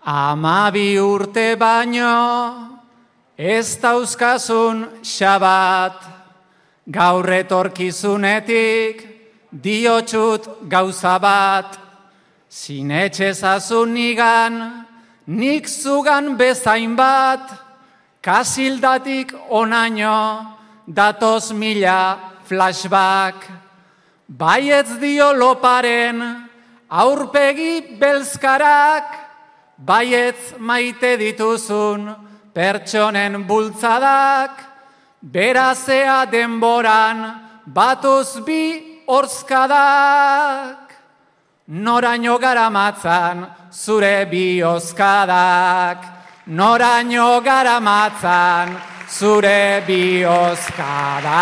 12 urte baino, ez dauzkazun xabat, gaur etorkizunetik, diotxut gauza bat, sinetxezazun nigan, nik zugan bezain bat, kasildatik onaino, datoz mila flashback, baietz dio loparen, aurpegi belzkarak, baietz maite dituzun pertsonen bultzadak, berazea denboran batuz bi horzkadak. Noraino garamatzan zure bihozkadak, noraino garamatzan zure bihozkadak.